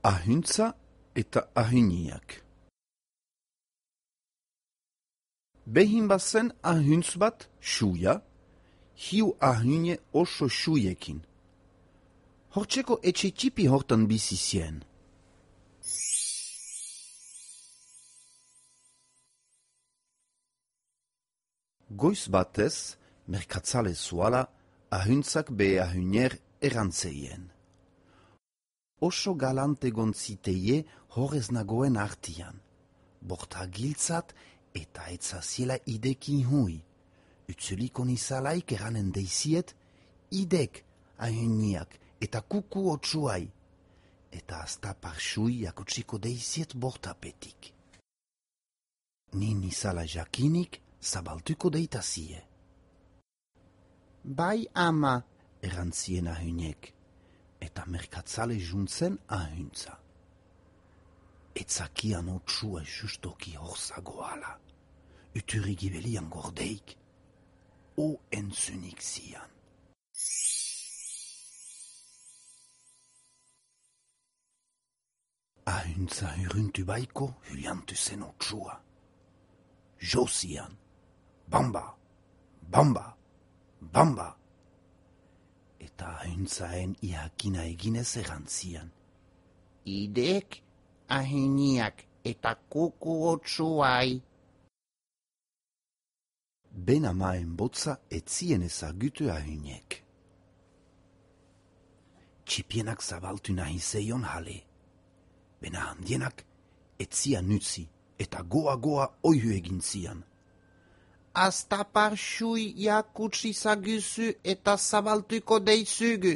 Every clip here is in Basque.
Ahuntza eta ahuniak. Behin bazen ahuntz bat suia, hiu ahune oso suiekin. Hortzeko etxe txipi hortan bizi zien. Goiz batez, merkatzale zuala, ahuntzak be ahunier erantzeien. Oso galante gontziteie horrez nagoen artian. Borta giltzat eta etzaziela idekin hui. Utzuliko nizalaik eranen deiziet, idek ahuniak eta kuku otsuai. Eta azta parsui jakotsiko deiziet bortapetik. Ni nizala jakinik zabaltuko deitazie. Bai ama, erantzien ahuniek. Eta merkatzale juntzen ahuntza. Etzakian otsua justoki horzagoala. Uturi gibelian gordeik. O entzunik zian. Ahuntza huruntu baiko huliantu zen otsua. Josian. Bamba, bamba, bamba. Eta ahuntzaen ihakina eginez erantzian. Idek, ahuniak eta kuku otsuai. Ben amaen botza etzien ezagutu ahuniek. Txipienak zabaltu nahi zeion hale. Bena handienak etzian utzi eta goa oihu egin zian. Azta parsui jakutsi zaguzu eta zabaltuko deizugu.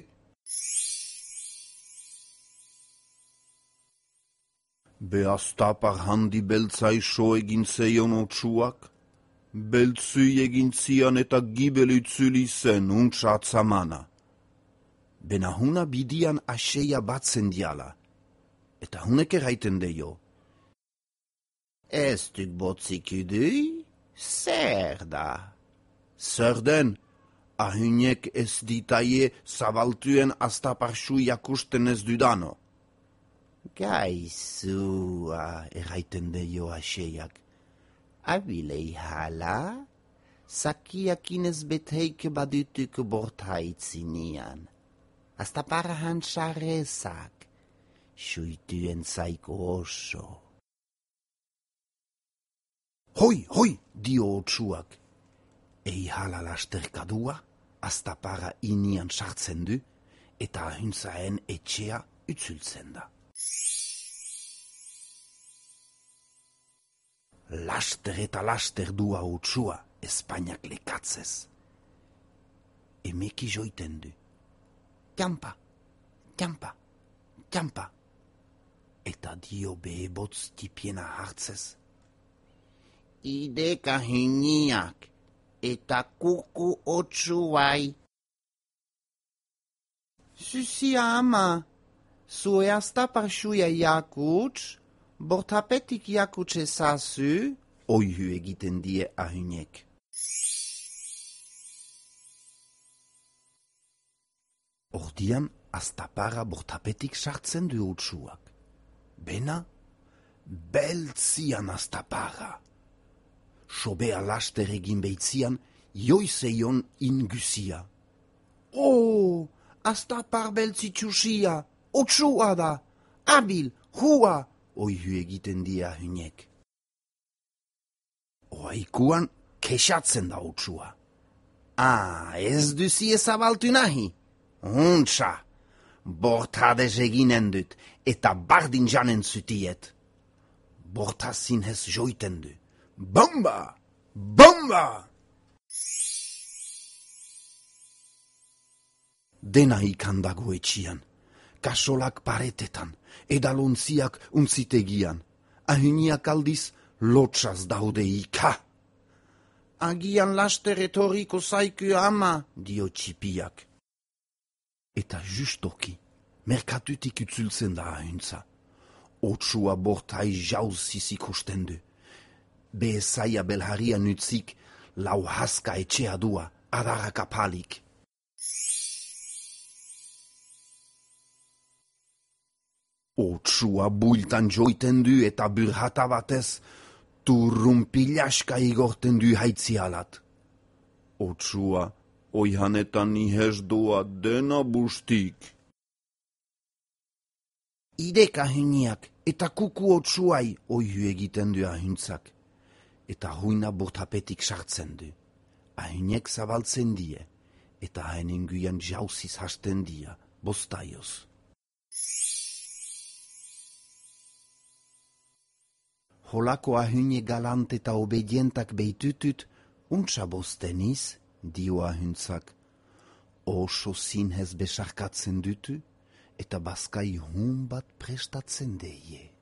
Be azta par handi beltzai so egin zeion otsuak. Beltzui egin zian eta gibel utzuli zen untsatzamana. Bena huna bidian aseia batzen diala. Eta hunek erraiten deio. Ez duk botzik udui? Zer da? Zer den, ahuniek ez ditaie zabaltuen aztaparsu jakusten ez dudano. Gaizua, erraiten deio aseiak. Abilei hala, zakiakin ez beteik badutuk bortaitzinian. Aztapara hantzarezak, suituen zaiko oso. Hoi, dio otsuak. Ei hala lasterkadua, aztapara inian sartzen du, eta ahuntzaen etxea utzultzen da. Laster eta laster dua otsua, Espainiak lekatzez. Emeki joiten du. Kampa, kampa, kampa. Eta dio behebotz tipiena hartzez. Idek ahuniak eta kuku otsuai. Susia ama, zue azta parsuia jakuts, bortapetik jakuts ezazu, oihu egiten die ahuniek. Ordian aztapara bortapetik sartzen du otsuak. Bena, beltzian aztapara. Sobea laster egin beitzian, joizeion inguzia. Oh, aztapar beltzitsusia, otsua da, abil, hua, oihu egiten dia ahuniek. Oaikuan kexatzen da otsua. Ez duzi ezabaltu nahi? Untsa, bortadez eginen dut, eta bardin janen zutiet. Bortazin hez joiten du. Bomba! Bomba! Dena ikandago etxian, kasolak paretetan, edalontziak untzitegian, ahuniak aldiz lotxaz daude ika. Agian laster etoriko zaiku ama, dio txipiak. Eta justoki, merkatutik utzultzen da ahuntza. Otsua bortai jauzziz ikusten du. Bezaia belharian utzik, lau haska etxea dua, adarrak apalik. « Otsua builtan joiten du eta burhata batez, turrunpilaska igorten du haitzialat. Otsua, oihanetan nihez doa dena bustik. Idek ahiniak eta kuku otsuai oihu egiten du ahuntzak, eta huina bortapetik sartzen du. Ahinek zabaltzen die, eta hainen guian jauziz hasten dia, bostaioz. Holako ahune galant eta obedientak beitutut, untsa bosteniz, dio ahuntzak. Oso zinhez besarkatzen dutu, eta baskai hun bat prestatzen deie.